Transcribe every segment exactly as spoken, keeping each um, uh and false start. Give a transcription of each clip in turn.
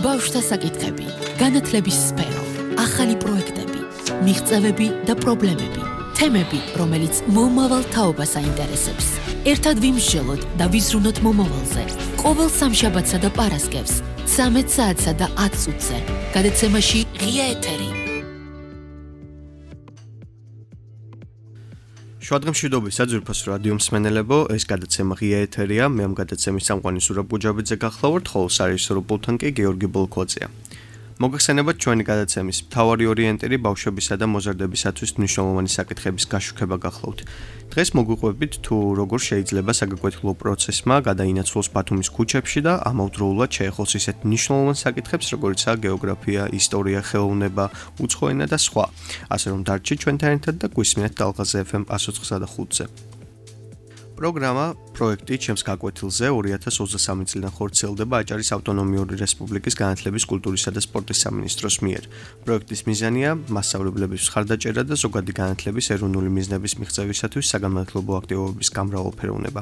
ბავშვთა საკითხები, განათლების სფერო, ახალი პროექტები, მიღწევები და პრობლემები, თემები, რომელიც მომავალ თაობას აინტერესებს. ერთად ვიმსჯელოთ და ვიზრუნოთ მომავალზე. ყოველ სამშაბათსა და პარასკევს, ცამეტ საათსა და ათ წუთზე. გადაცემაში ღია ეთერი. შუადღემშვიდობისა ძვირფას რადიო მსმენელებო, ეს გადაცემა ღია ეთერია, მე ამ გადაცემის სამყარო სურაბ გუჯაბიძე გახლავართ, ხოლო საერთო პულტთან კი გეორგი ბოლქვაძეა. მოგეხსენებათ ჩვენი გადაცემის მთავარი ორიენტირი ბავშვებისა და მოზარდებისათვის მნიშვნელოვანი საკითხების გაშუქება გახლავთ. დღეს მოგვიყვებით თუ როგორ შეიძლება საგაკვეთილო პროცესმა გადაინაცვლოს ბათუმის ქუჩებში და ამავდროულად შეეხოს ისეთ მნიშვნელოვან საკითხებს, როგორიცაა გეოგრაფია, ისტორია, ხელოვნება, უცხო ენა და სხვა. ასე რომ დარჩით ჩვენთან ერთად და გვისმინეთ დალღაზე ეფ ემ ათს ოცდაოთხ და ხუთზე. პროგრამა პროექტი ჩემს გაკვეთილზე ორი ათას ოცდასამი წლიდან ხორციელდება აჭარის ავტონომიური რესპუბლიკის განათლების, კულტურისა და სპორტის სამინისტროს მიერ. პროექტის მიზანია მასშტაბებლების მხარდაჭერა და ზოგადი განათლების ეროვნული მიზნების მიღწევისათვის საგანმანათლებლო აქტივობების გამრავალფეროვნება.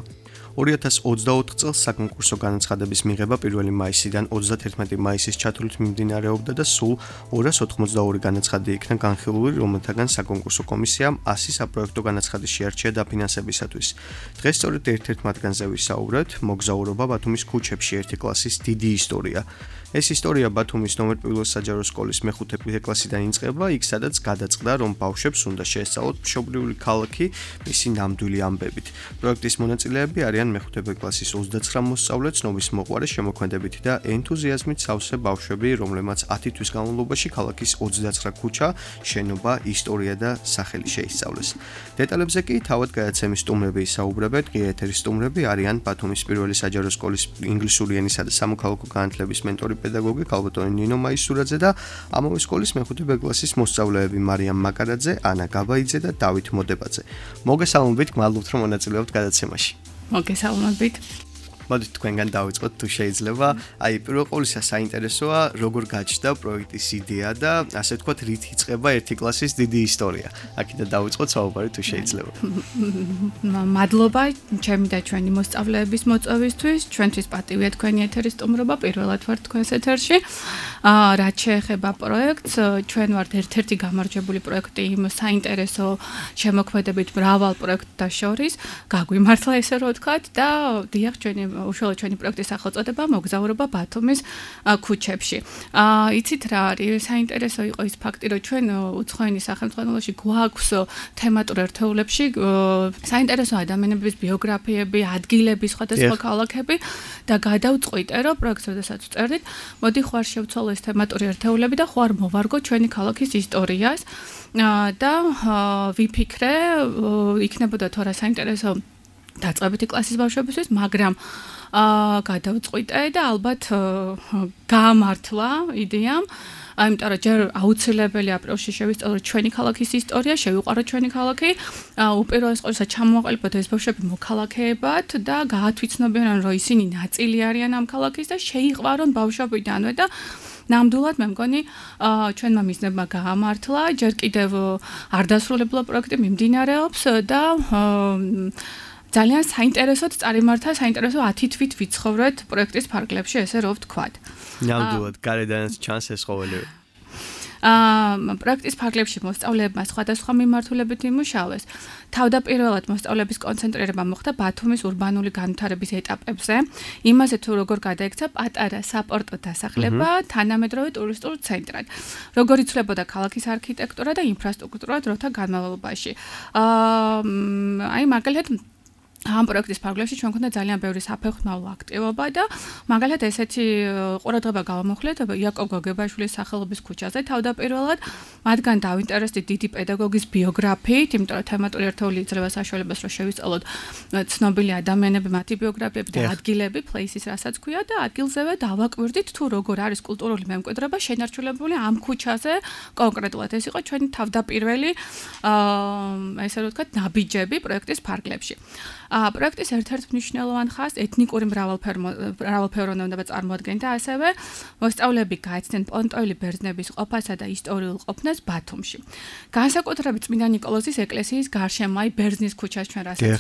ორი ათას ოცდაოთხ წელს საკონკურსო განაცხადების მიღება პირველი მაისიდან ოცდათერთმეტი მაისის ჩათვლით მიმდინარეობდა და სულ ორას ოთხმოცდაორი განაცხადი იქნა განხილული, რომელთაგან საკონკურსო კომისიამ ასი საპროექტო განაცხადი შეარჩია დაფინანსებისათვის. დღეს სწორედ ერთ-ერთ მათგანზე ვისაუბრეთ, მოგზაურობა ბათუმის ქუჩებში ერთი კლასის დიდი ისტორია. ეს ისტორია ბათუმის ნომერ პირველ საჯარო სკოლის მეხუთე კლასიდან იწყება, იქ სადაც გადაწყდა, რომ ბავშვებს უნდა შეესწავლოთ მშობლიური ქალაქი მისი ნამდვილი ამბებით. პროექტის მონაწილეები არიან მეხუთე კლასის ოცდაცხრა მოსწავლე, ცნობის მოყვარე, შემოქმედებითი და ენთუზიაზმით სავსე ბავშვები, რომლებმაც ათი თვის განმავლობაში ქალაქის ოცდაცხრა ქუჩა, შენობა, ისტორია და სახელი შეისწავლეს. დეტალებზე კი თავად გადაცემის სტუმრები ისაუბრებენ. ღია ეთერის სტუმრები არიან ბათუმის პირველი საჯარო სკოლის ინგლისური ენისა და სამოქალაქო განათლების მენტორი პედაგოგი ქალბატონი ნინო მაისურაძე და ამავე სკოლის მეხუთე კლასის მოსწავლეები მარიამ მაკარაძე, ანა გაბაიძე და დავით მოდებაძე. მოგესალმებით, გმადლობთ რომ მონაწილეობთ გადაცემაში. მოგესალმებით. მოდით თქვენგან დავიწყოთ თუ შეიძლება. აი, პირველ ყოვლისა საინტერესოა, როგორ გაჩნდა პროექტის იდეა და ასე ვთქვათ, რით იწყება ერთი კლასის დიდი ისტორია. აქედან დავიწყოთ საუბარი თუ შეიძლება. მადლობა ჩემი და ჩვენი მოსწავლეების მოწვევისთვის. ჩვენთვის პატივია თქვენი ეთერის სტუმრობა, პირველად ვართ თქვენს ეთერში. აა, რაც შეეხება პროექტს, ჩვენ ვართ ერთ-ერთი გამარჯვებული პროექტი იმ საინტერესო შემოქმედებით მრავალ პროექტთა შორის. გაგვიმართლა ესე რომ ვთქვათ და დიახ, ჩვენი უშუალოდ ჩვენი პროექტის სახელწოდება მოგზაურობა ბათუმის ქუჩებში. აა იცით რა არის საინტერესო იყო ის ფაქტი, რომ ჩვენ უცხოენის სახელმწიფოში გვაქვს თემატურ ერთეულებში საინტერესო ადამიანების ბიოგრაფიები, ადგილები, სხვადასხვა ქალაქები და გადავწყვიტე, რომ პროექტს როდესაც ვწერდით, მოდი ხوار შევცვალო ეს თემატური ერთეულები და ხوار მოვარგო ჩვენი ქალაქის ისტორიას და ვიფიქრე, იქნებოდა თუ არა საინტერესო დაწყებითი კლასის ბავშვებისთვის, მაგრამ აა გადავწყვიტე და ალბათ გაამართლა იდეამ, აიმიტომ რომ ჯერ აუცილებელი აპრილში შევისწავლოთ ჩვენი ქალაქის ისტორია, შევიყვაროთ ჩვენი ქალაქი, უპირველეს ყოვლისა ჩამოვაყალიბოთ ეს ბავშვები მოქალაქეებად და გაათვითცნობიან, რომ ისინი ნაწილი არიან ამ ქალაქის და შეიყვარონ ბავშვობიდანვე და ნამდვილად მე მგონი ჩვენმა მიზნებმა გაამართლა, ჯერ კიდევ არ დასრულებულა პროექტი მიმდინარეობს და ძალიან საინტერესოდ წარიმართა, საინტერესო ათი თვით ვიცხოვრეთ პროექტის ფარგლებში, ესე რომ ვთქვათ. ნამდვილად, გარედანაც ჩანს ეს ყოველივე. აა პროექტის ფარგლებში მოსწავლეებმა სხვადასხვა მიმართულებით იმუშავეს. თავდაპირველად მოსწავლეების კონცენტრირება მოხდა ბათუმის ურბანული განვითარების ეტაპებზე, იმაზე თუ როგორ გადაიქცა პატარა საპორტო დასახლება თანამედროვე ტურისტულ ცენტრად, როგორ იცვლებოდა ქალაქის არქიტექტურა და ინფრასტრუქტურა დროთა განმავლობაში. აა აი მაგალითად ამ პროექტის ფარგლებში ჩვენ გვქონდა ძალიან ბევრი საფეხმავლო აქტივობა და მაგალითად ესეთი ყურადღება გავამოხლეთ იაკობ გოგებაშვილის სახელობის ქუჩაზე თავდაპირველად, მათგან დავინტერესდით დიდი პედაგოგის ბიოგრაფიით, იმიტომ რომ თემატური ერთეული იძლევა საშუალებას რომ შევისწავლოთ ცნობილი ადამიანები, მათი ბიოგრაფიები და ადგილები, places რასაც ქვია და ადგილზევე დავაკვირდით თუ როგორ არის კულტურული მემკვიდრეობა შენარჩუნებული ამ ქუჩაზე კონკრეტულად. ეს იყო ჩვენი თავდაპირველი აა ესე რომ ვთქვათ ნაბიჯები პროექტის ფარგლებში. პროექტის ერთ-ერთ მნიშვნელოვან ხაზს ეთნიკური მრავალფეროვნება წარმოადგენდა, ასევე მოსწავლეები გაეცნენ პონტოელი ბერძნების ყოფასა და ისტორიულ ყოფნას ბათუმში. განსაკუთრებით წმინდა ნიკოლოზის ეკლესიის გარშემო, აი ბერძნის ქუჩას ჩვენ რასაც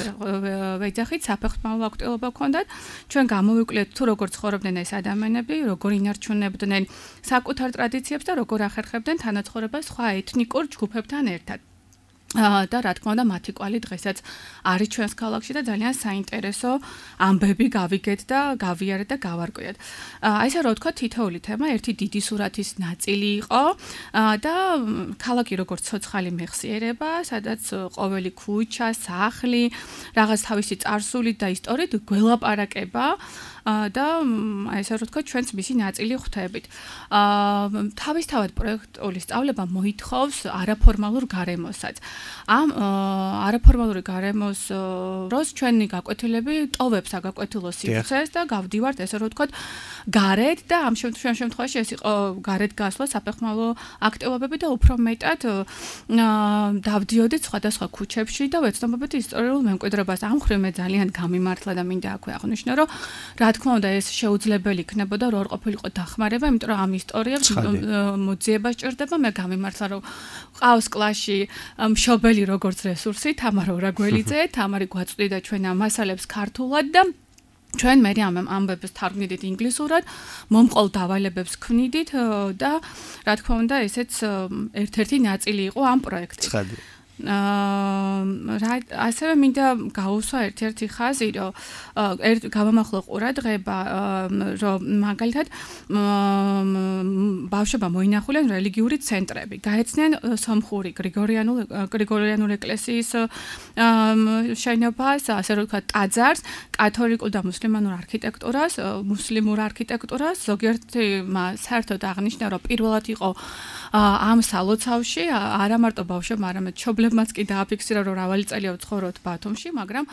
ვეძახით, საფეხმავლო აქტივობა ჰქონდათ. ჩვენ გამოვიკვლიეთ თუ როგორ ცხოვრობდნენ ეს ადამიანები, როგორ ინარჩუნებდნენ საკუთარ ტრადიციებს და როგორ ახერხებდნენ თანაცხოვრებას სხვა ეთნიკურ ჯგუფებთან ერთად. და რა თქმა უნდა მათი კვალი დღესაც არის ჩვენს ქალაქში და ძალიან საინტერესო ამბები გავიგეთ და გავიარეთ და გავარკვიეთ. აი ესე რა ვთქვა თითოეული თემა ერთი დიდი სურათის ნაწილი იყო და ქალაქი როგორც ცოცხალი მეხსიერება, სადაც ყოველი ქუჩა, სახლი, რაღაც თავისი წარსულით და ისტორიით გველაპარაკება და აი ესე რა ვთქვა ჩვენც მისი ნაწილი ხვდებით. თავისთავად პროექტული სწავლება მოითხოვს არაფორმალურ გარემოსაც. ამ არაფორმალური გარემოს დროს ჩვენი გაკვეთილები ტოვებს აგაკვეთილო სივრცეს და გავდივართ ესე რომ ვთქვათ გარეთ და ამ შემთხვევაში ეს იყო გარეთ გასვლა საფეხმავლო აქტივობები და უფრო მეტად დავდიოდით სხვადასხვა ქუჩებში და ვეცნობებით ისტორიულ მემკვიდრეობას. ამ მხრივ მე ძალიან გამიმართლა და მინდა აქვე აღვნიშნო რომ რა თქმა უნდა ეს შეუძლებელი იქნებოდა რომ არ ყოფილიყო დახმარება, იმიტომ რომ ამ ისტორიებს მოძიება სჭირდება. მე გამიმართლა რომ ყავს კლასში მშობელი როგორც რესურსი, თამარ ორაგველიძე, თამარი გვაწვდიდა ჩვენ ამ მასალებს ქართულად და ჩვენ მე ამ ამბებს თარგმნიდით ინგლისურად, მომყოლ დავალებებს ქმნიდით და რა თქმა უნდა ესეც ერთ-ერთი ნაწილი იყო ამ პროექტის. აა ასევე მინდა გაუსვა ერთ-ერთი ხაზი, რომ გავამახვილო ყურადღება, რომ მაგალითად ბავშვებმა მოინახულენ რელიგიური ცენტრები, გაეცნენ სომხური გრიგორიანულ გრიგორიანული ეკლესიის შენობას, ასე რომ ვთქვათ, ტაძარს, კათოლიკურ და მუსლიმანურ არქიტექტურას, მუსლიმურ არქიტექტურას, ზოგიერთი საერთოდ აღნიშნა, რომ პირველად იყო ამ სალოცავში არა მარტო ბავშვებმა, არამედ მშობლებმაც კი დააფიქსირა, რომ მრავალი წელია ვცხოვრობთ ბათუმში, მაგრამ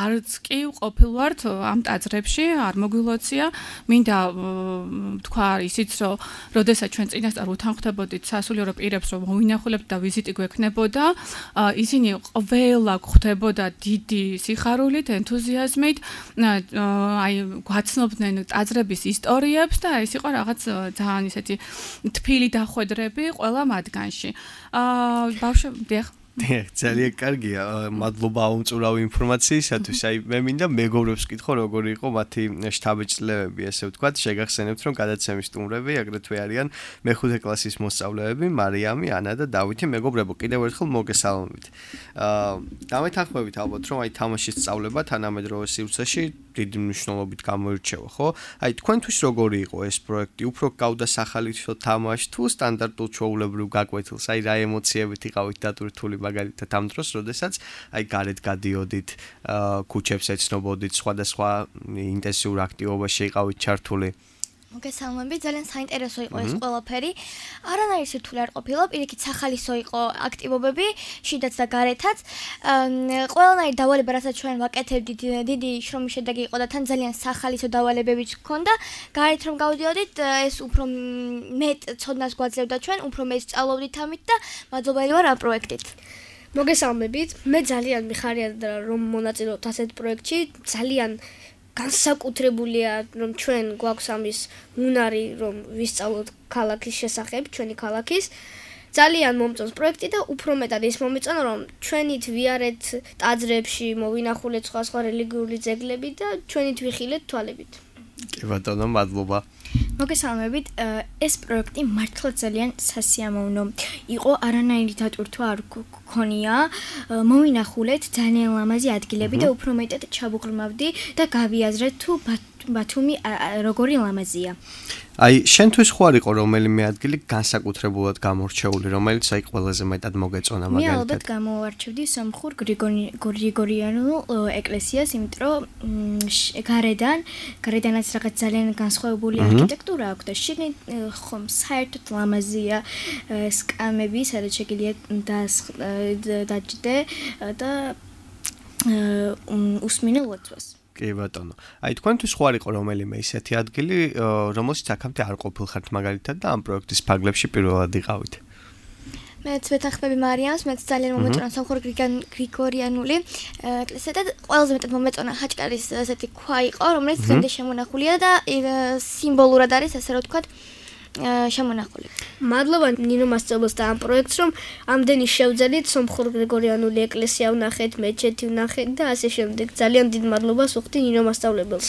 არც კი ყოფილვართ ამ ტაძრებში, არ მოგვილოცია. მინდა თქვა ისიც, რომ როდესაც ჩვენ წინასწარ უთანხმდებოდით სასულიერო პირებს, რომ მოვინახულებთ და ვიზიტი გვექნებოდა, ისინი ყველა გვხვდებოდა დიდი სიხარულით, ენთუზიაზმით, აი გვაცნობდნენ ტაძრების ისტორიებს და ეს იყო რაღაც ძალიან ისეთი თბილი დახვედრები ყველა მათგანში. აა ბავშვები დიახ ძალიან კარგია, მადლობა უმწურავი ინფორმაციისათვის. აი მე მინდა მეგობრებს ვკითხო, როგორი იყო მათი შთაბეჭდილებები, ესე ვთქვათ, შეგახსენებთ, რომ გადაცემის სტუმრები აგრეთვე არიან მეხუთე კლასის მოსწავლეები, მარიამი, ანა და დავითი. მეგობრებო, კიდევ ერთხელ მოგესალმებით. აა დამეთანხმებით ალბათ, რომ აი თამაშის სწავლება თანამედროვე სივრცეში დიდი მნიშვნელობით გამოირჩევა, ხო? აი თქვენთვის როგორი იყო ეს პროექტი? უფრო გავდა სახალისო თამაშს თუ სტანდარტულ ჩვეულებრივ გაკვეთილს? აი რა ემოციებით იყავით დატვირთული მაგალითად ამ დროს, როდესაც აი გარეთ გადიოდით, ქუჩებს ეცნობოდით, სხვადასხვა ინტენსიურ აქტივობაში იყავით ჩართული? მოგესალმებით, ძალიან საინტერესო იყო ეს ყველაფერი. არანაირი სირთულე არ ყოფილა, პირიქით სახალისო იყო აქტივობები, შიდაც და გარეთაც. ყველანაირი დავალება, რასაც ჩვენ ვაკეთებდით, დიდი შრომის შედეგი იყო და თან ძალიან სახალისო დავალებებიც ჰქონდა. გარეთ რომ გავდიოდით, ეს უფრო მეტ ცოდნას გვაძლევდა ჩვენ, უფრო მეტ სწავლობდით ამით და მადლობელი ვარ ამ პროექტით. მოგესალმებით, მე ძალიან მიხარია რომ მონაწილეობთ ასეთ პროექტში, ძალიან განსაკუთრებულია რომ ჩვენ გვაქვს ამის უნარი რომ ვისწავლოთ ქალაქის შესახებ, ჩვენი ქალაქის. ძალიან მომწონს პროექტი და უფრო მეტად ის მომეწონა რომ ჩვენით ვიარეთ ტაძრებში, მოვინახულეთ სხვა სხვა რელიგიური ძეგლები და ჩვენით ვიხილეთ თვალებით. კი ბატონო, მადლობა. მოგესალმებით, ეს პროექტი მართლა ძალიან სასიამოვნო იყო, არანაირი დატვირთვა არ გქონია. მოვინახულეთ ძალიან ლამაზი ადგილები და უფრო მეტად ჩავუღრმავდი და გავიაზრეთ თუ ბათუმი როგორი ლამაზია. აი, შენთვის ხო არ იყო რომელიმე ადგილი განსაკუთრებულად გამორჩეული, რომელიც აი ყველაზე მეტად მოგეწონა მაგალითად? მე ალბათ გამოვარჩევდი სომხურ გრიგორიანულ ეკლესიას, იმიტომ რომ გარედან, გარედანაც რაღაც ძალიან განსხვავებული არქიტექტურა აქვს და შიგნით ხომ საერთოდ ლამაზია სკამები, სადაც შეგიძლია დაჯდე და უსმინო ლოცვას. კი ბატონო. აი თქვენთვის ხო არ იყო რომელიმე ისეთი ადგილი, რომელშიც აქამდე არ ყოფილხართ მაგალითად და ამ პროექტის ფარგლებში პირველად იყავით? მეც ვეთანხმები მარიამს, მეც ძალიან მომეწონა სომხური გრიგორიანული ეკლესია და ყველაზე მეტად მომეწონა ხაჭკარის ესეთი ქვა იყო, რომელიც დღემდე შემონახულია და სიმბოლურად არის, ასე რომ ვთქვათ, შემონახული. მადლობა ნინო მასწავლებელს და ამ პროექტს, რომ ამდენი შევძელით სომხურ გრიგორიანული ეკლესია ვნახეთ, მეჩეთი ვნახეთ და ასე შემდეგ. ძალიან დიდ მადლობას ვუხდი ნინო მასწავლებელს.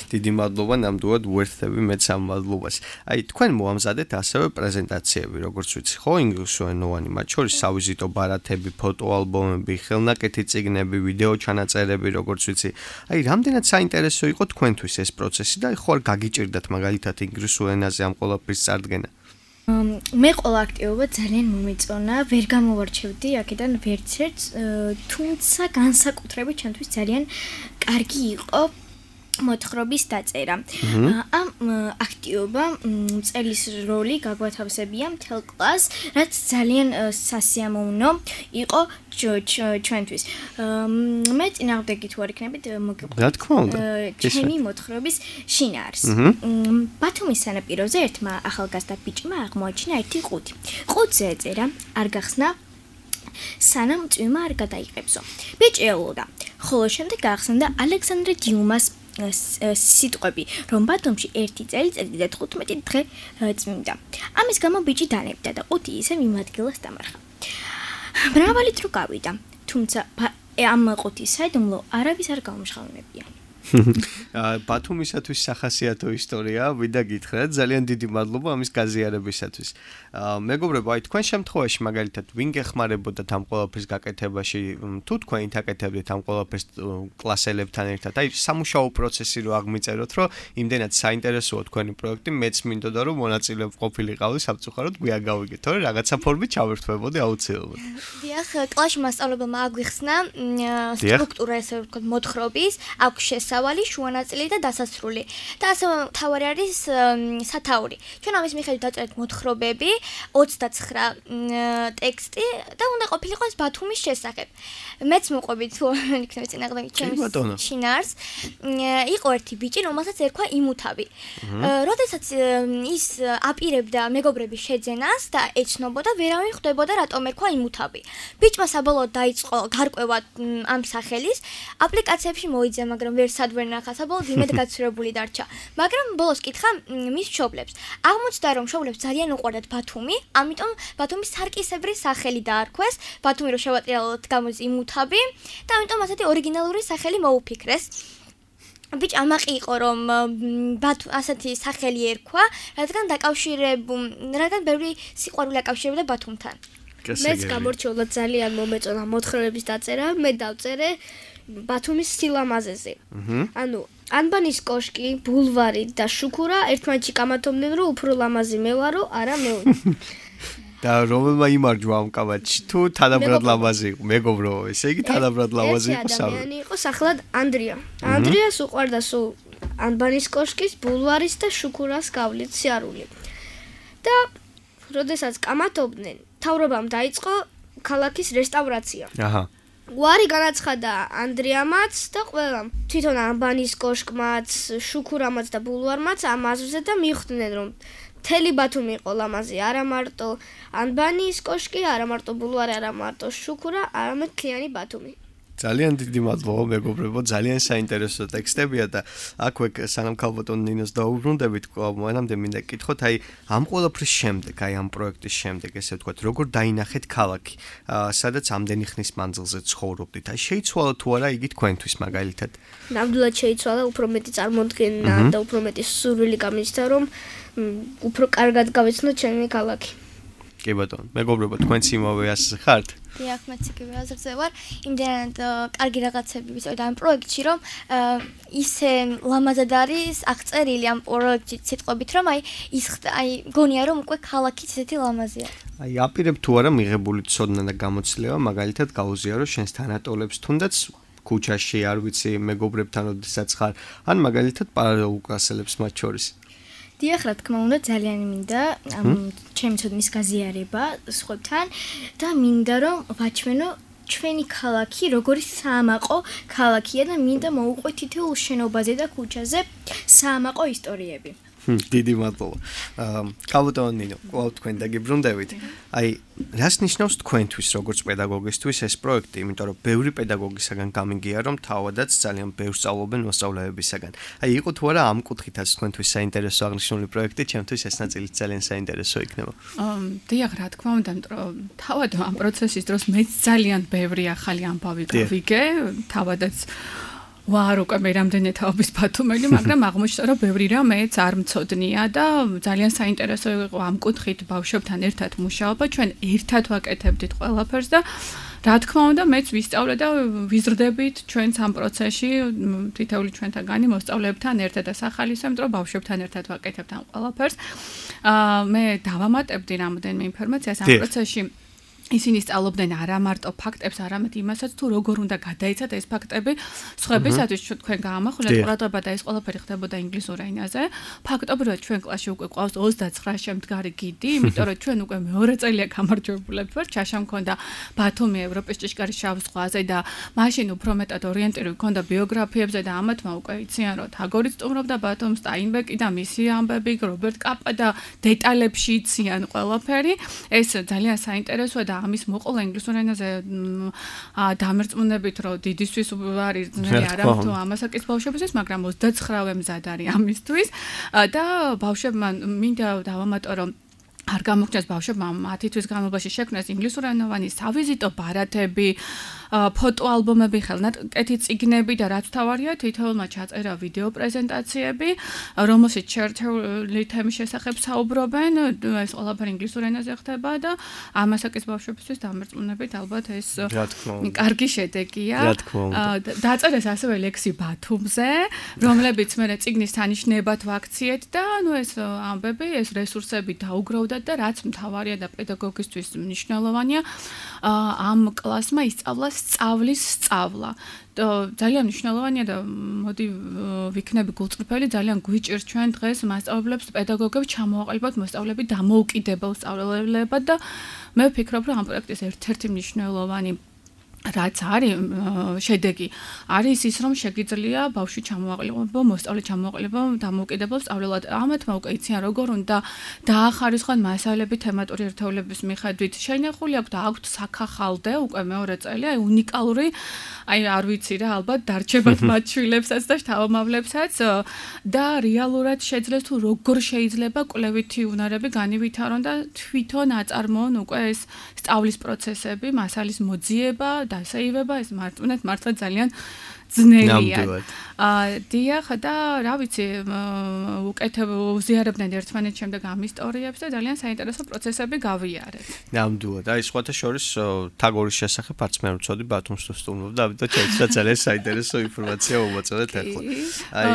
დიდი მადლობა, ნამდვილად ვერთები მეც ამ მადლობას. აი, თქვენ მოამზადეთ ასევე პრეზენტაციები, როგორც ვიცი, ხო, ინგლისურენოვანი, მათ შორის სავიზიტო ბარათები, ფოტოალბომები, ხელნაკეთი წიგნები, ვიდეო ჩანაწერები, როგორც ვიცი. აი, რამდენად საინტერესო იყო თქვენთვის ეს პროცესი და ხო არ გაგიჭირდათ მაგალითად ინგლისურ ენაზე ამ ყველაფრის წარდგენა? მე ყველა აქტივობა ძალიან მომეწონა, ვერ გამოვარჩევდი აქედან ვერც ერთს, თუმცა განსაკუთრებით ჩემთვის ძალიან კარგი იყო მოთხრობის დაწერა. ამ აქტივობამ მწერლის როლი გაგვათავსებია მთელ კლასს, რაც ძალიან სასიამოვნო იყო ჩვენთვის. მე წინააღმდეგი თუ არ იქნებით მოგიყვებით. რა თქმა უნდა. ჩემი მოთხრობის შინაარს. ბათუმის სანაპიროზე ერთმა ახალგაზრდა ბიჭმა აღმოაჩინა ერთი ყუთი. ყუთზე ეწერა, არ გახსნა სანამ წვიმა არ გადაიღებსო. ბიჭი ელოდა, ხოლო შემდეგ გაახსენდა ალექსანდრე დიუმას სიტყვები, რომ ბათუმში ერთი წელიწადი და თხუთმეტი დღე წმინდა. ამის გამო ბიჭი დანებდა და ყუთი ისევ იმ ადგილას დამარხა. მრავალი დრო გავიდა, თუმცა ამ ყუთის საიდუმლო არავის არ გაუმჟღავნებია. ბათუმისათვის სახასიათო ისტორია, ვიდა გითხრათ, ძალიან დიდი მადლობა ამის გაზიარებისათვის. მეგობრებო, აი თქვენ შემთხვევაში მაგალითად ვინ გეხმარებოდათ ამ ყველაფრის გაკეთებაში, თუ თქვენ აკეთებდით ამ ყველაფერს კლასელებთან ერთად, აი სამუშაო პროცესი რო აღმიწეროთ, რომ იმდენად საინტერესოა თქვენი პროექტი, მეც მინდოდა რომ მონაწილე ყოფილიყავდი სამწუხაროდ გვიან გავიგეთ, თორე რაღაცა ფორმით ჩავერთვებოდი აუცილებლად. დიახ, კლასში მასწავლებელმა აგვიხსნა სტრუქტურა, ესე ვთქვათ, მოთხრობის, აქვს შესავალი, შუანაწილი და დასასრული. და ასე თავარი არის სათაური. ჩვენ ამის მიხედვით დაწერეთ მოთხრობები, ოცდაცხრა ტექსტი და უნდა ყოფილიყო ეს ბათუმის შესახებ. მეც მოყვებით თუ იქნებ წინააღმდეგი ჩემს შინაარს. იყო ერთი ბიჭი, რომელსაც ერქვა იმუთავი. როდესაც ის აპირებდა მეგობრების შეძენას და ეცნობოდა, ვერავინ ხვდებოდა რატომ ერქვა იმუთავი. ბიჭმა საბოლოოდ დაიწყო გარკვევა ამ სახელის, აპლიკაციებში მოიძია, მაგრამ ვერ სად ვერ ნახა, საბოლოოდ იმედ გაცურებული დარჩა. მაგრამ ბოლოს კითხა მის მშობლებს. აღმოჩნდა, რომ მშობლებს ძალიან უყვარდათ ბათუმი, ამიტომ ბათუმის სარკისებრი სახელი დაარქვეს, ბათუმი რო შევატრიალოთ გამოდის იმუთავი და ამიტომ ასეთი ორიგინალური სახელი მოუფიქრეს. ბიჭი ამაყი იყო, რომ ბათუ ასეთი სახელი ერქვა, რადგან დაკავშირებულ, რადგან ბევრი სიყვარული აკავშირებდა ბათუმთან. მეც გამორჩეულად ძალიან მომეწონა მოთხრობების დაწერა, მე დავწერე ბათუმის სილამაზეზე. ანუ ანბანის კოშკი, ბულვარი და შუქურა ერთმანეთში კამათობდნენ, რომ უფრო ლამაზი მე ვარო, არა მე. და რომელმა იმარჯვა ამ კამათში, თუ თანაბრად ლამაზი იყო, მეგობრო, ესე იგი თანაბრად ლამაზი იყო სამ. ადამიანი იყო სახლად ანდრია. ანდრიას უყვარდა სულ ანბანის კოშკის, ბულვარის და შუქურას გავლით სიარული. და როდესაც კამათობდნენ, თავრობამ დაიწყო ქალაქის რესტავრაცია. აჰა. უარი განაცხადა ანდრიამაც და ყველამ. თვითონ ანბანის კოშკმაც, შუქურამაც და ბულვარმაც ამ აზრზე და მიხვდნენ, რომ მთელი ბათუმი იყო ლამაზი, არა მარტო ანბანის კოშკი, არა მარტო ბულვარი, არა მარტო შუქურა, არამედ მთლიანი ბათუმი. ძალიან დიდი მადლობა მეგობრებო, ძალიან საინტერესო ტექსტებია და აქვე სანამ ქალბატონ ნინოს დაუბრუნდებით, მანამდე მინდა გკითხოთ, აი ამ ყველაფრის შემდეგ, აი ამ პროექტის შემდეგ, ესე ვთქვათ, როგორ დაინახეთ ქალაქი, სადაც ამდენი ხნის მანძილზე ცხოვრობდით. აი შეიცვალა თუ არა იგი თქვენთვის მაგალითად? ნამდვილად შეიცვალა, უფრო მეტი წარმოდგენა და უფრო მეტი სურვილი გამიჩნდა, რომ უფრო კარგად გავეცნო ჩემი ქალაქი. კი ბატონო, მეგობრებო, თქვენც იმავე აზრზე ხართ? დიახ, მეც იგივე აზრზე ვარ. იმდენად კარგი რაღაცები ვიცოდი ამ პროექტში, რომ ისე ლამაზად არის აღწერილი ამ პროექტში სიტყვებით, რომ აი ის აი გონია, რომ უკვე ქალაქიც ისეთი ლამაზია. აი აპირებ თუ არა მიღებული ცოდნა და გამოცდილება, მაგალითად გაუზიარო შენს თანატოლებს, თუნდაც ქუჩაში, არ ვიცი, მეგობრებთან როდესაც ხარ, ან მაგალითად პარალელურ კლასელებს მათ შორის. დიახ, რა თქმა უნდა, ძალიან მინდა ამ ჩემი ცოდნის გაზიარება სხვებთან და მინდა რომ ვაჩვენო ჩვენი ქალაქი როგორი საამაყო ქალაქია და მინდა მოვუყვეთ თითოეულ შენობაზე და ქუჩაზე საამაყო ისტორიები. დიდი მადლობა. აა კალუტონ ნინო, ყავ თქვენ დაგიბრუნდებით. აი, რას ნიშნავს თქვენთვის როგორც პედაგოგისთვის ეს პროექტი, იმიტომ რომ ბევრი პედაგოგისაგან გამიგია, რომ თავადაც ძალიან ბევრს სწავლობენ მოსწავლეებისაგან. აი, იყო თუ არა ამ კუთხითაც თქვენთვის საინტერესო აღნიშნული პროექტი, ჩემთვის ეს ნაწილი ძალიან საინტერესო იქნება. აა, დიახ, რა თქმა უნდა, რომ თავად ამ პროცესის დროს მეც ძალიან ბევრი ახალი ამბავი გავიგე, თავადაც ვარ უკვე მე რამდენი თაობის ბათუმელი, მაგრამ აღმოჩნდა რომ ბევრი რამ მეც არ მცოდნია და ძალიან საინტერესო იყო ამ კუთხით ბავშვებთან ერთად მუშაობა, ჩვენ ერთად ვაკეთებდით ყველაფერს და რა თქმა უნდა მეც ვისწავლე და ვიზრდებით ჩვენც ამ პროცესში თითოეული ჩვენთაგანი მოსწავლეებთან ერთად და სახალისო, იმიტომ რომ ბავშვებთან ერთად ვაკეთებთ ამ ყველაფერს. აა მე დავამატებდი რამდენიმე ინფორმაციას ამ პროცესში. ისინი სწავლობდნენ არა მარტო ფაქტებს, არამედ იმასაც, თუ როგორ უნდა გადაიცათ ეს ფაქტები სხვებისათვის. თქვენ გაამახვილეთ ყურადღება და ეს ყველაფერი ხდებოდა ინგლისურ ენაზე. ფაქტობრივად ჩვენ კლასში უკვე ყავს ოცდაცხრა შემდგარი გიდი, იმიტომ რომ ჩვენ უკვე მეორე წელია გამარჯვებულები ვართ. ჩაშა მქონდა ბათუმი ევროპის ჭიშკარის შავ ზღვაზე და მაშინ უფრო მეტად ორიენტირებული მქონდა ბიოგრაფიებზე და ამათმა უკვე იციან, რომ თაგორიც სტუმრობდა ბათუმს, სტაინბეკი და მისი ამბები, რობერტ კაპა და დეტალებში იციან ყველაფერი. ეს ძალიან საინტერესოა და ამის მოყოლა ინგლისურ ენაზე დამერწმუნებით, რომ დიდისთვის არის ძნელი არა თუ ამასაკის ბავშვებისთვის, მაგრამ ოცდაცხრა მზად არის ამისთვის და ბავშვებმა მინდა დავამატო, რომ არ გამოგჩნდეს ბავშვებმა მათი თვის განმავლობაში შექმნეს ინგლისურენოვანი სავიზიტო ბარათები, ფოტოალბომები, ხელნაკეთი წიგნები და რაც თავარია, თითოეულმა ჩაწერა ვიდეო პრეზენტაციები, რომელშიც ჩერტული თემის შესახებ საუბრობენ. ეს ყველაფერი ინგლისურ ენაზე ხდება და ამასაკის ბავშვებისთვის დამერწმუნებით ალბათ ეს კარგი შედეგია. დაწერეს ასევე ლექსი ბათუმზე, რომლებიც მე წიგნის თანაშნებად ვაქციეთ და ნუ ეს ამბები, ეს რესურსები დაუგროვდა და რაც მთავარია და პედაგოგისთვის მნიშვნელოვანია, ამ კლასმა ისწავლა სწავლის სწავლა. ძალიან მნიშვნელოვანია და მოდი ვიქნები გულწრფელი, ძალიან გვიჭირს ჩვენ დღეს მასწავლებლებს, პედაგოგებს ჩამოაყალიბოთ მოსწავლეები დამოუკიდებელ სწავლებლებად და მე ვფიქრობ, რომ ამ პროექტის ერთ-ერთი მნიშვნელოვანი რაც არის შედეგი არის ის, რომ შეგიძლია ბავშვი ჩამოაყალიბო, მოსწავლე ჩამოაყალიბო დამოუკიდებელ სწავლებლად. ამათმა უკვე იციან როგორ უნდა დაახარისხონ მასალები თემატური ერთეულების მიხედვით. შენახული აქვს და აქვთ საქახალდე უკვე მეორე წელი, აი უნიკალური, აი არ ვიცი რა, ალბათ დარჩებათ მათ შვილებსაც და შთამომავლებსაც და რეალურად შეძლეს თუ როგორ შეიძლება კვლევითი უნარები განივითარონ და თვითონ აწარმოონ უკვე ეს სწავლის პროცესები, მასალის მოძიება, დასაივება, ეს მარტუნეთ მართლა ძალიან ძნელია. აა დიახ და რა ვიცი, უკეთებ უზიარებდნენ ერთმანეთს შემდეგ ამ ისტორიებს და ძალიან საინტერესო პროცესები გავიარეთ. ნამდვილად. აი სხვათა შორის თაგორის შესახებ არც მე არ ვიცოდი, ბათუმს თუ სტუმრობდა, ამიტომ შეიძლება ძალიან საინტერესო ინფორმაცია მომაწოდეთ ახლა. აი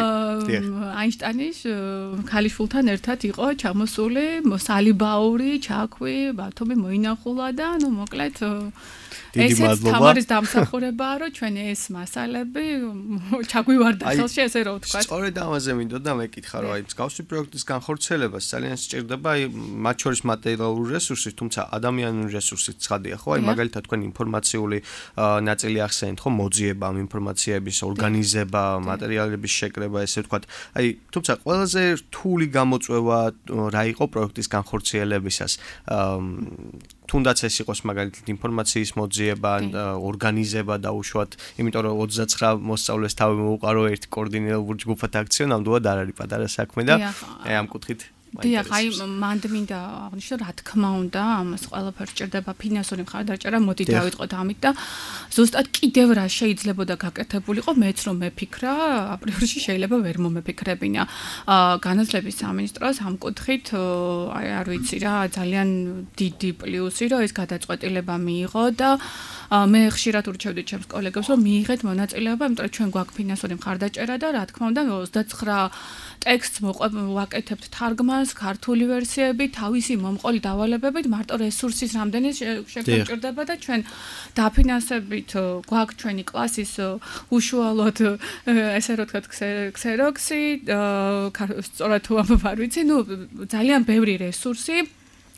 დიახ. აინშტაინის ქალიშვილთან ერთად იყო ჩამოსული სალიბაური, ჩაქვი, ბათუმი მოინახულა და ნუ მოკლედ დიდი მადლობა. თამარის დამსახურებაა, რომ ჩვენ ეს მასალები ჩაგვივარდა ხელში, ესე რომ ვთქვა. სწორედ ამაზე მინდოდა მეკითხა, რომ აი მსგავსი პროექტის განხორციელებას ძალიან სჭირდება აი მათ შორის მატერიალური რესურსი, თუმცა ადამიანური რესურსიც ცხადია, ხო? აი მაგალითად თქვენ ინფორმაციული ნაწილი ახსენეთ, ხო? მოძიება ამ ინფორმაციების, ორგანიზება, მასალების შეკრება, ესე ვთქვათ. აი თუმცა ყველაზე რთული გამოწვევა რა იყო პროექტის განხორციელებისას? თუნდაც ეს იყოს მაგალითად ინფორმაციის მოძიება, ორგანიზება და უშუალოდ, იმიტომ რომ ოცდაცხრა მოსწავლეს თავი მოუყარო ერთ კოორდინირებულ ჯგუფად აქციო, ნამდვილად არ არის პატარა საქმე და აი ამ კუთხით დიახ, აი მანდ მინდა აღნიშნო, რა თქმა უნდა, ამას ყველაფერს ჭირდება ფინანსური მხარდაჭერა, მოდი დავიწყოთ ამით და ზუსტად კიდევ რა შეიძლებოდა გაკეთებულიყო, მეც რომ მეფიქრა, აპრიორში შეიძლება ვერ მომეფიქრებინა. განათლების სამინისტროს ამ კუთხით, აი არ ვიცი რა, ძალიან დიდი პლუსი, რომ ეს გადაწყვეტილება მიიღო და მე ხშირად ურჩევდი ჩემს კოლეგებს, რომ მიიღეთ მონაწილეობა, იმიტომ რომ ჩვენ გვაქვს ფინანსური მხარდაჭერა და რა თქმა უნდა, ოცდაცხრა ტექსტს მოყვებთ თარგმანს, ქართული ვერსიები, თავისი მომყოლი დავალებებით, მარტო რესურსის რამდენი შეგვჭირდება და ჩვენ დაფინანსებით გვაქვს ჩვენი კლასის უშუალოდ ესე რომ ვთქვათ ქსეროქსი, სწორად თუ არ ვიცი, ნუ ძალიან ბევრი რესურსი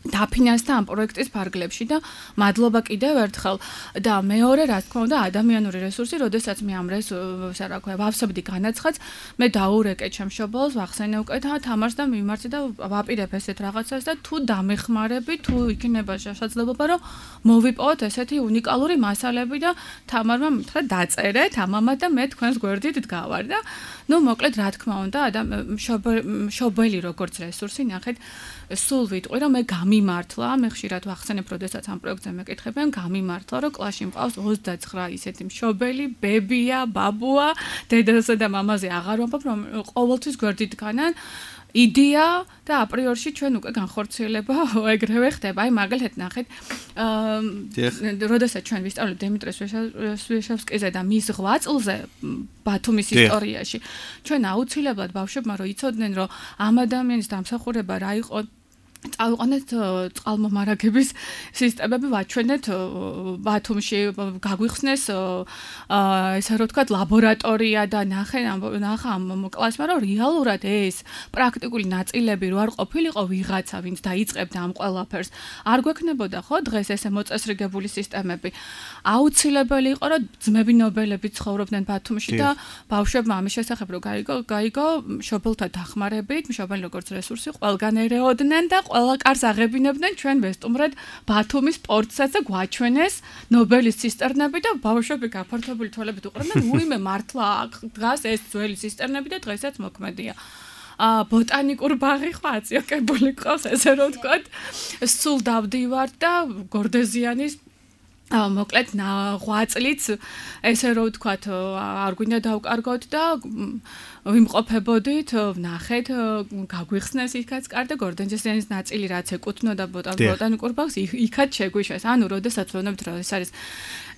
დაფინანსდა ამ პროექტის ფარგლებში და მადლობა კიდევ ერთხელ და მეორე რა თქმა უნდა ადამიანური რესურსი, როდესაც მე ამ რესურს რა ქვია, ვავსებდი განაცხადს, მე დაურეკე ჩემს მშობელს, ვახსენე უკვე თამარს და მიმარცხე და ვაპირებ ესეთ რაღაცას და თუ დამეხმარები, თუ იქნება შესაძლებლობა, რომ მოვიპოვოთ ესეთი უნიკალური მასალები და თამარმა მითხრა დაწერეთ ამამა და მე თქვენს გვერდით დგავარ და ნუ მოკლედ რა თქმა უნდა მშობელი როგორც რესურსი ნახეთ სულ ვიტყვი რომ მე გამიმართლა მე ხშირად ვახსენებ როდესაც ამ პროექტზე მეკითხებიან გამიმართლა რომ კლასში მყავს ოცდაცხრა ისეთი მშობელი ბებია ბაბუა დედასა და მამაზე აღარ ვამბობ რომ ყოველთვის გვერდით დგანან იდეა და აპრიორში ჩვენ უკვე განხორციელება ეგრევე ხდება. აი მაგალითად ნახეთ, აა როდესაც ჩვენ ვისწავლებ დემიტრე სვეშევსკიზე და მის ღვაწლზე ბათუმის ისტორიაში, ჩვენ აუცილებლად ბავშვებმა რო იცოდნენ, რომ ამ ადამიანის დამსახურება რა იყო წავიყვანეთ წყალმომარაგების სისტემები ვაჩვენეთ ბათუმში გაგვიხსნეს ესე რომ ვთქვათ ლაბორატორია და ნახე ნახა ამ კლასმა რომ რეალურად ეს პრაქტიკული ნაწილები რო არ ყოფილიყო ვიღაცა ვინც დაიწყებდა ამ ყველაფერს არ გვექნებოდა ხო დღეს ესე მოწესრიგებული სისტემები აუცილებელი იყო რომ ძმები ნობელები ცხოვრობდნენ ბათუმში და ბავშვებმა ამის შესახებ რო გაიგო გაიგო მშობელთა დახმარებით მშობელი როგორც რესურსი ყველგან ერეოდნენ და ყველა კარს აღებინებდნენ ჩვენ ვესტუმრად ბათუმის პორტსაც და გვაჩვენეს ნობელის ცისტერნები და ბავშვები გაფართოებული თვალებით უყურებდნენ უიმე მართლა დღეს ეს ძველი ცისტერნები და დღესაც მოქმედია ა ბოტანიკურ ბაღი ხო აწიოკებული ყავს ესე რომ ვთქვათ სულ დავდივარ და გორდეზიანის მოკლედ ღვაწლიც ესე რომ ვთქვათ არ გვინდა დავკარგოთ და ვიმყოფებოდით, ვნახეთ, გაგვიხსნეს იქაც კარდა გორდენჯესიანის ნაწილი რაც ეკუთვნოდა ბოტანიკურ ბაღს, იქაც შეგვიშვეს. ანუ როდესაც ვეუბნებთ რომ ეს არის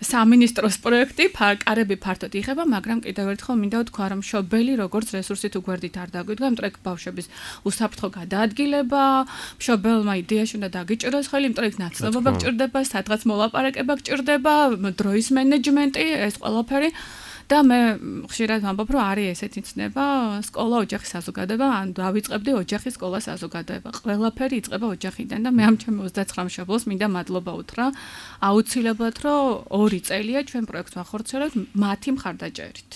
სამინისტროს პროექტი, კარები ფართოდ იხება, მაგრამ კიდევ ერთხელ მინდა ვთქვა რომ მშობელი როგორც რესურსი თუ გვერდით არ დაგვიდგა, იმიტომ რომ ბავშვების უსაფრთხო გადაადგილება, მშობელმა იდეაში უნდა დაგიჭიროს ხელი, იმიტომ რომ ნაცნობობა გჭირდება, სადღაც მოლაპარაკება გჭირდება, დროის მენეჯმენტი, ეს ყველაფერი და მე ხშირად ვამბობ რომ არის ესეთი ცნება სკოლა ოჯახის საზოგადოება ან დავიწყებდი ოჯახის სკოლა საზოგადოება ყველაფერი იწყება ოჯახიდან და მე ამ ჩემ ოცდაცხრა მშობელს მინდა მადლობა უთხრა აუცილებლად რომ ორი წელია ჩვენ პროექტს ვახორციელებთ მათი მხარდაჭერით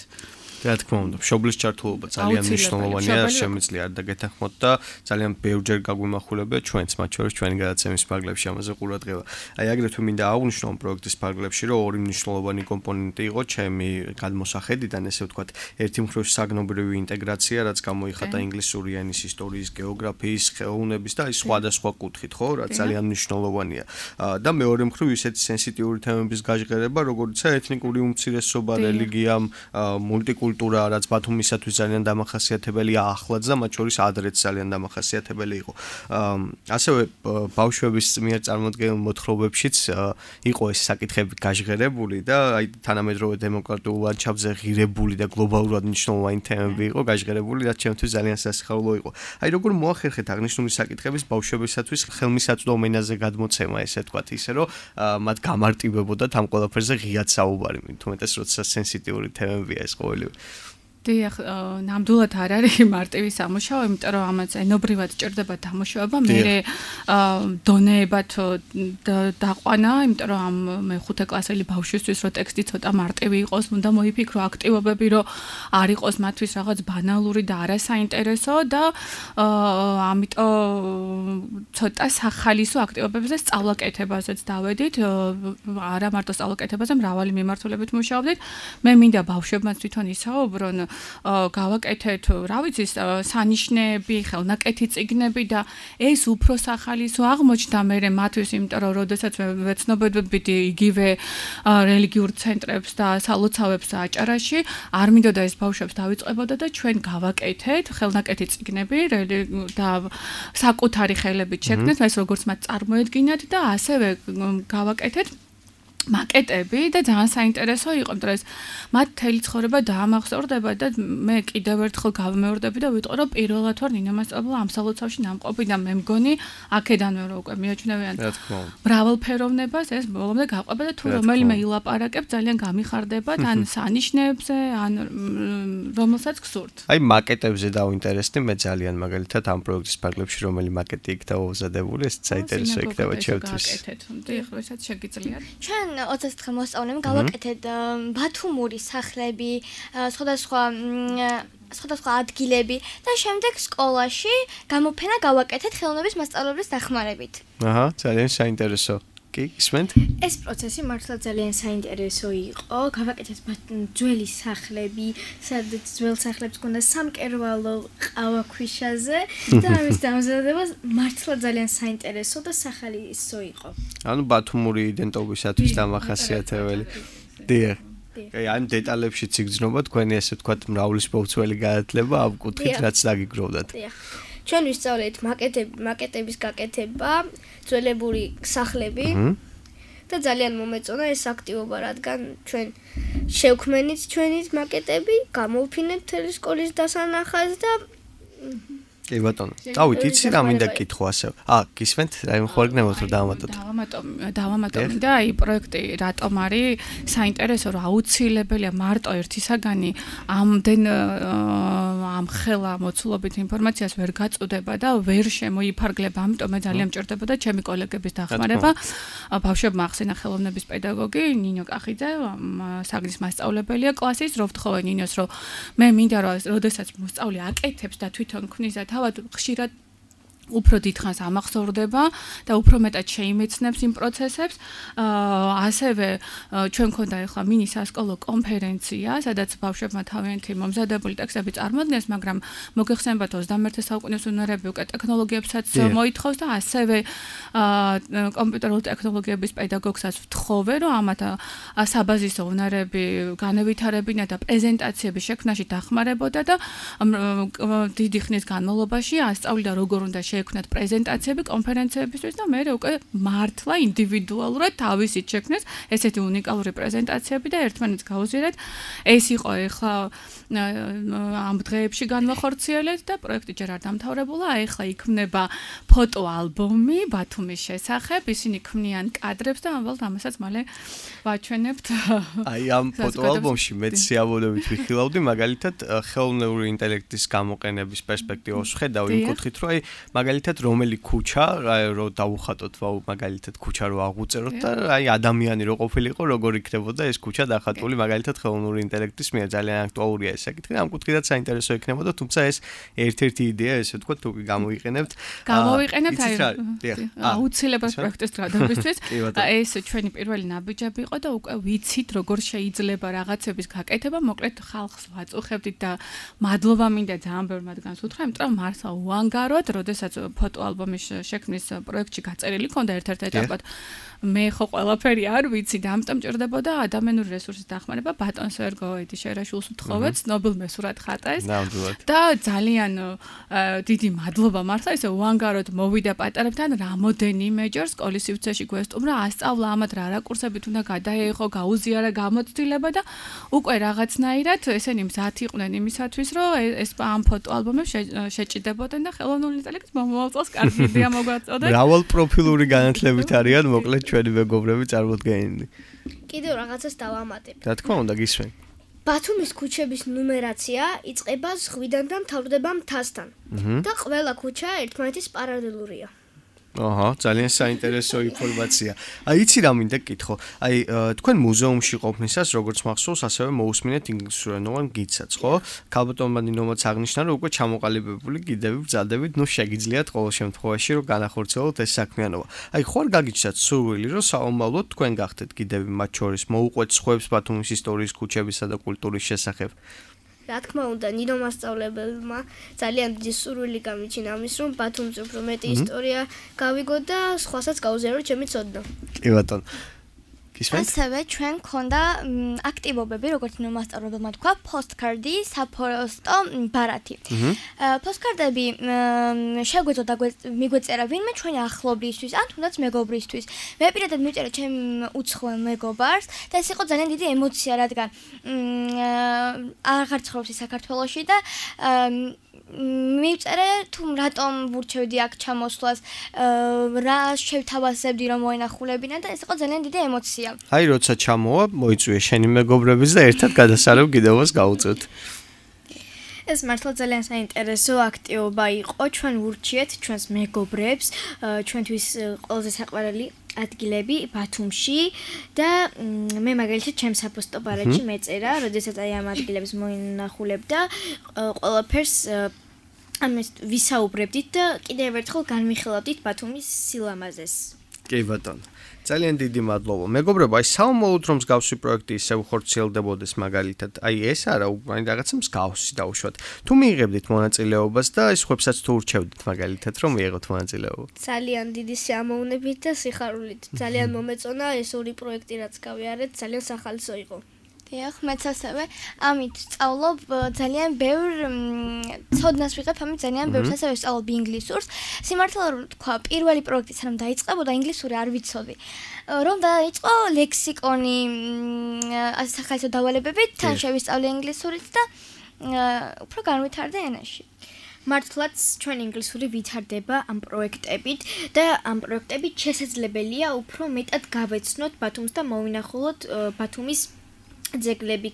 რა თქმა უნდა, მშობლის ჩართულობა ძალიან მნიშვნელოვანია, შემიძლია არ დაგეთანხმოთ და ძალიან ბევრჯერ გაგვიმახვილებია ჩვენც, მათ შორის ჩვენი გადაცემის ფარგლებში ამაზე ყურადღება. აი აგრეთვე მინდა აღვნიშნო ამ პროექტის ფარგლებში, რომ ორი მნიშვნელოვანი კომპონენტი იყო ჩემი გადმოსახედიდან, ესე ვთქვათ, ერთი მხრივ საგნობრივი ინტეგრაცია, რაც გამოიხატა ინგლისური ენის, ისტორიის, გეოგრაფიის, ხელოვნების და აი სხვადასხვა კუთხით, ხო, რაც ძალიან მნიშვნელოვანია. და მეორე მხრივ ისეთი სენსიტიური თემების გაჟღერება, როგორიცაა ეთნიკური უმცირესობა, რელიგია, მულტიკულტურა კულტურა, რაც ბათუმისათვის ძალიან დამახასიათებელია ახლაც და მათ შორის ადრეც ძალიან დამახასიათებელი იყო. ასევე ბავშვების მიერ წარმოდგენილ მოთხრობებშიც იყო ეს საკითხები გაჟღერებული და აი თანამედროვე დემოკრატიულ ლანდშაფტზე ღირებული და გლობალურად მნიშვნელოვანი თემები იყო გაჟღერებული, რაც ჩემთვის ძალიან სასიხარულო იყო. აი როგორ მოახერხეთ აღნიშნული საკითხების ბავშვებისათვის ხელმისაწვდომ ენაზე გადმოცემა, ესე ვთქვათ, ისე რომ მათ გამარტივებოდათ ამ ყველაფერზე ღიად საუბარი, თუმეტეს როცა სენსიტიური თემებია ეს ყოველივე. დიახ, ნამდვილად არ არის მარტივი სამუშაო, იმიტომ რომ ამაც ენობრივად ჭირდება დამუშავება, მე დონეებად დაყვანა, იმიტომ რომ ამ მეხუთე კლასელი ბავშვისთვის რო ტექსტი ცოტა მარტივი იყოს, უნდა მოიფიქრო აქტივობები, რომ არ იყოს მათთვის რაღაც ბანალური და არასაინტერესო და ამიტომ ცოტა სახალისო აქტივობებზე სწავლაკეთებაზეც დავედით, არა მარტო სწავლაკეთებაზე, მრავალი მიმართულებით მუშაობდით. მე მინდა ბავშვებმაც თვითონ ისაუბრონ გავაკეთეთ, რა ვიცი, სანიშნეები, ხელნაკეთი წიგნები და ეს უფრო სახალისო აღმოჩნდა მე მათთვის, იმიტომ რომ როდესაც ვეცნობებდი იგივე რელიგიურ ცენტრებს და სალოცავებს აჭარაში, არ მინდოდა ეს ბავშვებს დავიწყებოდა და ჩვენ გავაკეთეთ ხელნაკეთი წიგნები და საკუთარი ხელებით შექმნეთ, ეს როგორც მათ წარმოედგინათ და ასევე გავაკეთეთ მაკეტები და ძალიან საინტერესო იყო, იმიტომ რომ მათ თელი ცხოვრება დაამახსოვრდება და მე კიდევ ერთხელ გავმეორდები და ვიტყვი რომ პირველად ვარ ნინო მასწავლებლა ამ სალოცავში ნამყოფი და მე მგონი აქედანვე რომ უკვე მიაჩნევიან მრავალფეროვნებას ეს ბოლომდე გაყვება და თუ რომელიმე ილაპარაკებს ძალიან გამიხარდება ან სანიშნეებზე ან რომელსაც გსურთ. აი მაკეტებზე დავინტერესდი მე ძალიან მაგალითად ამ პროექტის ფარგლებში რომელი მაკეტი იქ დაუზადებული ეს საინტერესო იქნება ჩემთვის. გაკეთეთ, უნდა ეხლა ესაც შეგიძლიათ. ჩვენ ოცდაოთხი მოსწავლემ გავაკეთეთ ბათუმური სახლები, სხვადასხვა სხვადასხვა ადგილები და შემდეგ სკოლაში გამოფენა გავაკეთეთ ხელოვნების მასწავლებლის დახმარებით. აჰა, ძალიან საინტერესო. კი, ისმენთ? ეს პროცესი მართლა ძალიან საინტერესო იყო. გავაკეთეთ ძველი სახლები, სადაც ძველ სახლებს გქონდა სამკერვალო ყავაქვიშაზე და ამის დამზადება მართლა ძალიან საინტერესო და სახალისო იყო. ანუ ბათუმური იდენტობისათვის დამახასიათებელი. დიახ. აი ამ დეტალებშიც იგრძნობა თქვენი ესე ვთქვათ მრავლის მოვცველი განათლება ამ კუთხით რაც დაგიგროვდათ. დიახ. ჩვენ ვისწავლეთ მაკეტები, მაკეტების გაკეთება, ძველებური სახლები და ძალიან მომეწონა ეს აქტივობა, რადგან ჩვენ შევქმნით ჩვენი მაკეტები, გამოვფინეთ მთელი სკოლის დასანახად და კი ბატონო. წავით, იცი რა მინდა კითხო ასე. აა, გისმენთ? აი ხوارგნებოთ რომ დავამატოთ. დავამატო, დავამატო და აი პროექტი რატომ არის საინტერესო, რომ აუცილებელია მარტო ერთი საგანი ამდენ ამ ხელა მოცულობით ინფორმაციას ვერ გაწუდება და ვერ შემოიფარგლება. ამიტომ მე ძალიან მჭირდებოდა ჩემი კოლეგების დახმარება. ბავშვებმა ახსენა ხელოვნების პედაგოგი ნინო კახიძე, საგნის მასწავლებელია კლასის, რო ვთხოვე ნინოს, რომ მე მინდა რომ როდესაც მოსწავლე აკეთებს და თვითონ ქმნის და თავად ხშირად უფრო დიდხანს ამახსოვრდება და უფრო მეტად შეიმეცნებს იმ პროცესებს. ასევე ჩვენ მქონდა ახლა მინი სასკოლო კონფერენცია, სადაც ბავშვებმა თავიანთი მომზადებული ტექსტები წარმოადგენს, მაგრამ მოგეხსენებათ ოცდამეერთე საუკუნის უნარები უკვე ტექნოლოგიებსაც მოითხოვს და ასევე კომპიუტერული ტექნოლოგიების პედაგოგსაც ვთხოვე, რომ ამათ საბაზისო უნარები განევითარებინა და პრეზენტაციების შექმნაში დახმარებოდა და დიდი ხნის განმავლობაში ასწავლიდა როგორ უნდა შექმნათ პრეზენტაციები კონფერენციებისთვის და მე უკვე მართლა ინდივიდუალურად თავისით შექმნეს ესეთი უნიკალური პრეზენტაციები და ერთმანეთს გაუზიარეთ. ეს იყო ახლა ამ დღეებში განვახორციელეთ და პროექტი ჯერ არ დამთავრებულა. ახლა იქმნება ფოტოალბომი ბათუმის შესახებ. ისინი ქმნიან კადრებს და ამბობთ ამასაც მალე ვაჩვენებთ. აი ამ ფოტოალბომში მეც სიამოვნებით ვიხილავდი მაგალითად ხელოვნური ინტელექტის გამოყენების პერსპექტივას ვხედავ იმ კუთხით რომ აი მაგალითად რომელი ქუჩა რო დავუხატოთ ვაუ მაგალითად ქუჩა რო აღუწეროთ და აი ადამიანი რო ყოფილიყო როგორ იქნებოდა ეს ქუჩა დახატული მაგალითად ხელოვნური ინტელექტის მიერ ძალიან აქტუალურია ეს საკითხი და ამ კუთხიდან საინტერესო იქნებოდა თუმცა ეს ერთ-ერთი იდეა ესე ვთქვათ თუ გამოვიყენებთ გამოვიყენებთ აი აუცილებლად პროექტის დროებისთვის ეს ჩვენი პირველი ნაბიჯები იყო და უკვე ვიცით როგორ შეიძლება რაღაცების გაკეთება მოკლედ ხალხს ვაწუხებდით და მადლობა მინდა ძალიან ბევრ მათგანს უთხრა იმიტომ რომ მართლა უანგაროდ როდესაც ფოტოალბომის შექმნის პროექტში გაწერილი ქონდა ერთ-ერთ ეტაპად მე ხო ყველაფერი არ ვიცი და ამიტომ ჭირდებოდა ადამიანური რესურსის დახმარება ბატონ სერგოიდი შერაშულს ვთხოვეთ ცნობილ მესურად ხატას და ძალიან დიდი მადლობა მართლა ესე უანგაროდ მოვიდა პატარებთან რამოდენიმეჯერ სკოლის სივრცეში გვესტუმრა ასწავლა ამათ რა რაკურსებით უნდა გადაეღო გაუზიარა გამოცდილება და უკვე რაღაცნაირად ესენი მზად იყვნენ იმისათვის რომ ეს ამ ფოტოალბომებს შეჭიდებოდნენ და ხელოვნური ინტელექტის მომავალ წელს კარგი იდეა მოგვაწოდეთ. მრავალ პროფილური განათლებით არიან მოკლედ ჩვენი მეგობრები წარმოდგენილი. კიდევ რაღაცას დავამატებ. რა თქმა უნდა გისმენ. ბათუმის ქუჩების ნუმერაცია იწყება ზღვიდან და მთავრდება მთასთან. და ყველა ქუჩა ერთმანეთის პარალელურია. აჰა, ძალიან საინტერესო ინფორმაცია. აი, იცი რა მინდა გითხო. აი, თქვენ მუზეუმში ყოფნისას როგორც მახსოვს, ასევე მოусმინეთ ინგლისურენოვან გიდსაც, ხო? ქალბატონმა ნინომაც აღნიშნა, რომ უკვე ჩამოყალიბებული გიდები ბრძანდებით, ნუ შეგიძლიათ ყოველ შემთხვევაში რომ განახორციელოთ ეს საქმიანობა. აი, ხო არ გაგიჩნდათ სურვილი, რომ საომავლოდ თქვენ გახდეთ გიდები მათ შორის მოუყვეთ სხვებს ბათუმის ისტორიის ქუჩებისა და კულტურის შესახებ? რა თქმა უნდა, ნინო მასწავლებელმა ძალიან დიდი სურვილი გამიჩინა ამის, რომ ბათუმზე უფრო მეტი ისტორია გავიგო და სხვასაც გაუზიარო ჩემი ცოდნა. კი ბატონო. ასევე ჩვენ გქონდა აქტივობები, როგორც ნუ მასწავლებელმა თქვა, postcard-ი, საფოსტო ბარათი. postcard-ები შეგვეძლო და მიგვეწერა ვინმე ჩვენი ახლობლისთვის, ან თუნდაც მეგობრისთვის. მე პირადად მივწერე ჩემ უცხოელ მეგობარს და ეს იყო ძალიან დიდი ემოცია, რადგან აღარ ცხოვრობს საქართველოში და მივწერე თუ რატომ ვურჩევდი აქ ჩამოსვლას, რა შევთავაზებდი რომ მოენახულებინა და ეს იყო ძალიან დიდი ემოცია. აი როცა ჩამოვა, მოიწვია შენი მეგობრების და ერთად გადასარევ კიდევაც გაუწევთ. ეს მართლა ძალიან საინტერესო აქტივობა იყო. ჩვენ ვურჩიეთ ჩვენს მეგობრებს, ჩვენთვის ყველაზე საყვარელი ადგილები ბათუმში და მე მაგალითად ჩემს საფოსტო ბარათში მეწერა, როდესაც აი ამ ადგილებს მოინახულებდა, ყველაფერს ამას ვისაუბრებდით და კიდევ ერთხელ განვიხილავდით ბათუმის სილამაზეს. კი ბატონო. ძალიან დიდი მადლობა. მეგობრებო, აი საომოლოდ რომ მსგავსი პროექტი ისევ ხორციელდებოდეს მაგალითად, აი ეს არა, აი რაღაცა მსგავსი დაუშვათ. თუ მიიღებდით მონაწილეობას და ეს ხვებსაც თუ ურჩევდით მაგალითად რომ მიიღოთ მონაწილეობა. ძალიან დიდი სიამოვნებით და სიხარულით. ძალიან მომეწონა ეს ორი პროექტი რაც გავიარეთ, ძალიან სახალხო იყო. დიახ, მეც ასევე ამით სწავლობ ძალიან ბევრ ცოდნას ვიღებ, ამით ძალიან ბევრს ასევე ვსწავლობ ინგლისურს. სიმართლე რომ თქვა, პირველი პროექტი სანამ დაიწყებოდა ინგლისური არ ვიცოდი. რომ დაიწყო ლექსიკონი, ასე სახალხო დავალებებით, თან შევისწავლე ინგლისურით და უფრო განვითარდა ენაში. მართლაც ჩვენ ინგლისური ვითარდება ამ პროექტებით და ამ პროექტებით შესაძლებელია უფრო მეტად გავეცნოთ ბათუმს და მოვინახულოთ ბათუმის ძეგლები,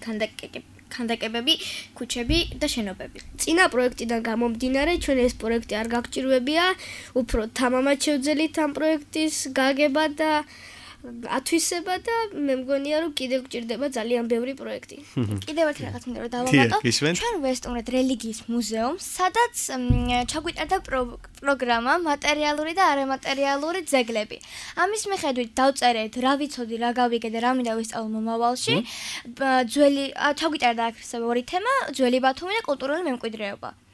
ქანდაკებები, ქუჩები და შენობები. წინა პროექტიდან გამომდინარე, ჩვენ ეს პროექტი არ გაგჭირვებია, უფრო თამამად შევძელით ამ პროექტის გაგება და ათვისება და მე მგონია რომ კიდევ გჭირდება ძალიან ბევრი პროექტი. კიდევ ერთ რაღაც მინდა რომ დავამატო. ჩვენ ვესტუმრეთ რელიგიის მუზეუმს, სადაც ჩაგვიტარდა პროგრამა მატერიალური და არამატერიალური ძეგლები. ამის მიხედვით დავწერეთ, რა ვიცოდი, რა გავიგე და რა მინდა ვისწავლო მომავალში. ძველი ჩაგვიტარდა აქ ორი თემა, ძველი ბათუმი და კულტურული მემკვიდრეობა.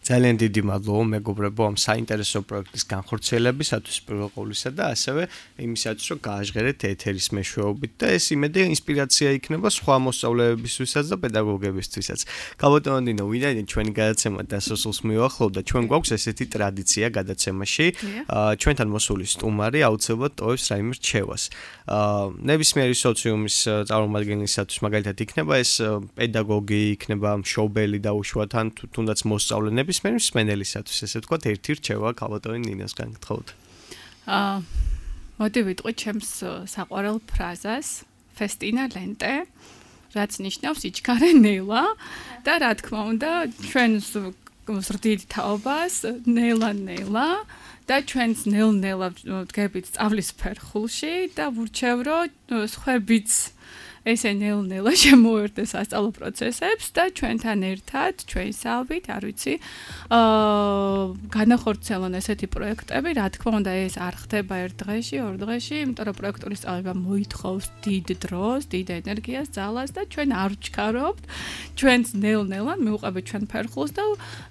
ძალიან დიდი მადლობა მეგობრებო ამ საინტერესო პროექტის განხორციელებისათვის პირველ ყოვლისა და ასევე იმისათვის რომ გააჟღერეთ ეთერის მეშვეობით და ეს იმედი ინსპირაცია იქნება სხვა მოსწავლეებისთვისაც და პედაგოგებისთვისაც. გაბატონო დინო, ვინაიდან ჩვენი გადაცემა დასასრულს მივახლოვდა, ჩვენ გვაქვს ესეთი ტრადიცია გადაცემაში, ჩვენთან მოსული სტუმარი აუცილებლად ტოვებს რაიმე რჩევას. ნებისმიერი სოციუმის წარმომადგენლისათვის მაგალითად იქნება ეს პედაგოგი, იქნება მშობელი დაუშვათ ან თუნდაც მოსწავლე მის მსმენელისათვის ესე ვთქვათ ერთი რჩევა გაბატონო ნინოსგან გთხოვთ. აა მოდი ვიტყვი ჩემს საყვარელ ფრაზას festina lente, რაც ნიშნავს იჩქარე ნელა და რა თქმა უნდა ჩვენს ზრდით თაობას ნელა ნელა და ჩვენს ნელ-ნელა ვდგებით სწავლის ფერხულში და ვურჩევ რომ სხვებიც ესე ნელ-ნელა შემოერთდეს სასწავლო პროცესებს და ჩვენთან ერთად, ჩვენსავით, არ ვიცი, აა განახორციელონ ესეთი პროექტები, რა თქმა უნდა, ეს არ ხდება ერთ დღეში, ორ დღეში, იმიტომ რომ პროექტული სწავლება მოითხოვს დიდ დროს, დიდ ენერგიას, ძალას და ჩვენ არ ვჩქარობთ, ჩვენს ნელ-ნელა მივუყებით ჩვენ ფერხულს და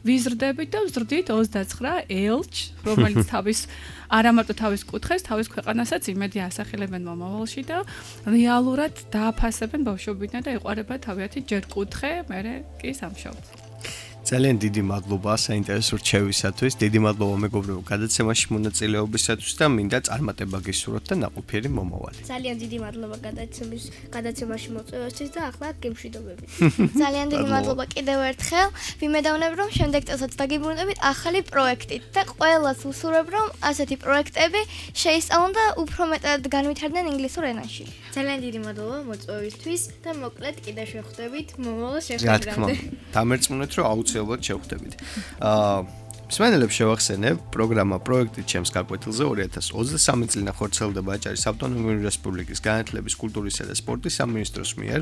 ვიზრდებით და ვზრდით ოცდაცხრა ელჩ, რომელიც თავის არამარტო თავის კუთხეს, თავის ქვეყანასაც იმედი ასახელებენ მომავალში და რეალურად დააფასებენ ბავშვობიდან და ეყარება თავიანთი ჯერ კუთხე, მერე კი სამშობლო. ძალიან დიდი მადლობა საინტერესო რჩევისათვის, დიდი მადლობა მეგობრებო გადაცემაში მონაწილეობისათვის და მინდა წარმატება გისურვოთ და ნაყოფიერი მომავალი. ძალიან დიდი მადლობა გადაცემის გადაცემაში მოწვევისთვის და ახლა გემშვიდობებით. ძალიან დიდი მადლობა კიდევ ერთხელ. ვიმედოვნებ რომ შემდეგ წელსაც დაგიბრუნდებით ახალი პროექტით და ყველას ვუსურვებ რომ ასეთი პროექტები შეისწავლონ და უფრო მეტად განვითარდნენ ინგლისურ ენაში. ძალიან დიდი მადლობა მოწვევისთვის და მოკლედ კიდევ შევხვდებით მომავალ რა თქმა შეხვედრამდე. უნდა, დამერწმუნეთ რომ აუცილებლად შევხვდებით. აა მსმენელებს შევახსენებ, პროგრამა პროექტი ჩემს გაკვეთილზე ორი ათას ოცდასამი წლიდან ხორციელდება აჭარის ავტონომიური რესპუბლიკის განათლების, კულტურისა და სპორტის სამინისტროს მიერ.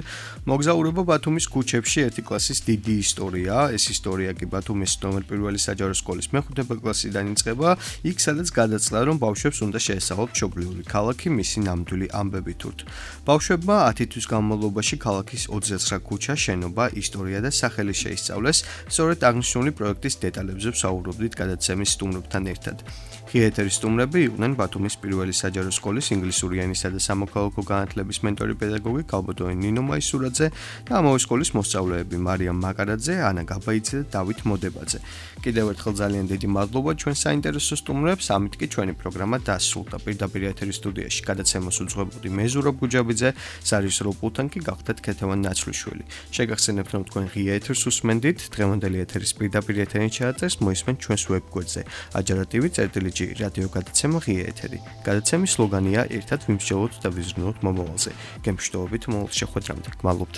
მოგზაურობა ბათუმის ქუჩებში ერთი კლასის დიდი ისტორია. ეს ისტორია კი ბათუმის ნომერ პირველი საჯარო სკოლის მეხუთე კლასიდან იწყება, იქ სადაც გადაწყდა რომ ბავშვებს უნდა შეესწავლოთ მშობლიური ქალაქი, მისი ნამდვილი ამბებით ურთ. ბავშვებმა ათი თვის განმავლობაში ქალაქის ოცდაცხრა ქუჩა, შენობა, ისტორია და სახელი შეისწავლეს. სწორედ აღნიშნული პროექტის დეტალებზე ვსაუბრობ მსახურობდით გადაცემის სტუმრებთან ერთად. ღია ეთერის სტუმრები იყვნენ ბათუმის პირველი საჯარო სკოლის ინგლისური ენისა და სამოქალაქო განათლების მენტორი პედაგოგი კალბოტოი ნინო მაისურაძე და ამავე სკოლის მოსწავლეები მარიამ მაკარაძე, ანა გაბაიძე და დავით მოდებაძე. კიდევ ერთხელ ძალიან დიდი მადლობა ჩვენ საინტერესო სტუმრებს, ამით კი ჩვენი პროგრამა დასრულდა. პირდაპირ ეთერის სტუდიაში გადაცემას უძღვებოდი მე ზურაბ გუჯაბიძე, საერთო პულტანკი გახდათ ქეთევან ნაცვლიშვილი. შეგახსენებთ რომ თქვენ ღია ეთერს უსმენდით, დღევანდელი ეთერის პირდაპირ ეთერი ჩაწერს მოისმენთ ჩვენს ვებგვერდზე. აჯარა.tv წერტილიჯი რადიო გადაცემა ღია ეთერი. გადაცემის სლოგანია ერთად ვიმსჯელოთ და ვიზრუნოთ მომავალზე. გემშვიდობებით მომავალ შეხვედრამდე. გმადლობთ.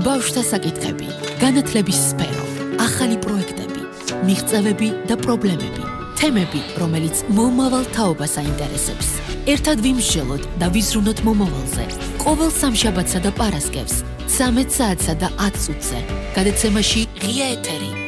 ბავშვთა საკითხები, განათლების სფერო, ახალი პროექტები, მიღწევები და პრობლემები, თემები, რომელიც მომავალ თაობას აინტერესებს. ერთად ვიმსჯელოთ და ვიზრუნოთ მომავალზე. ყოველ სამშაბათსა და პარასკევს, ცამეტ საათსა და ათ წუთზე. გადაცემაში ღია ეთერი.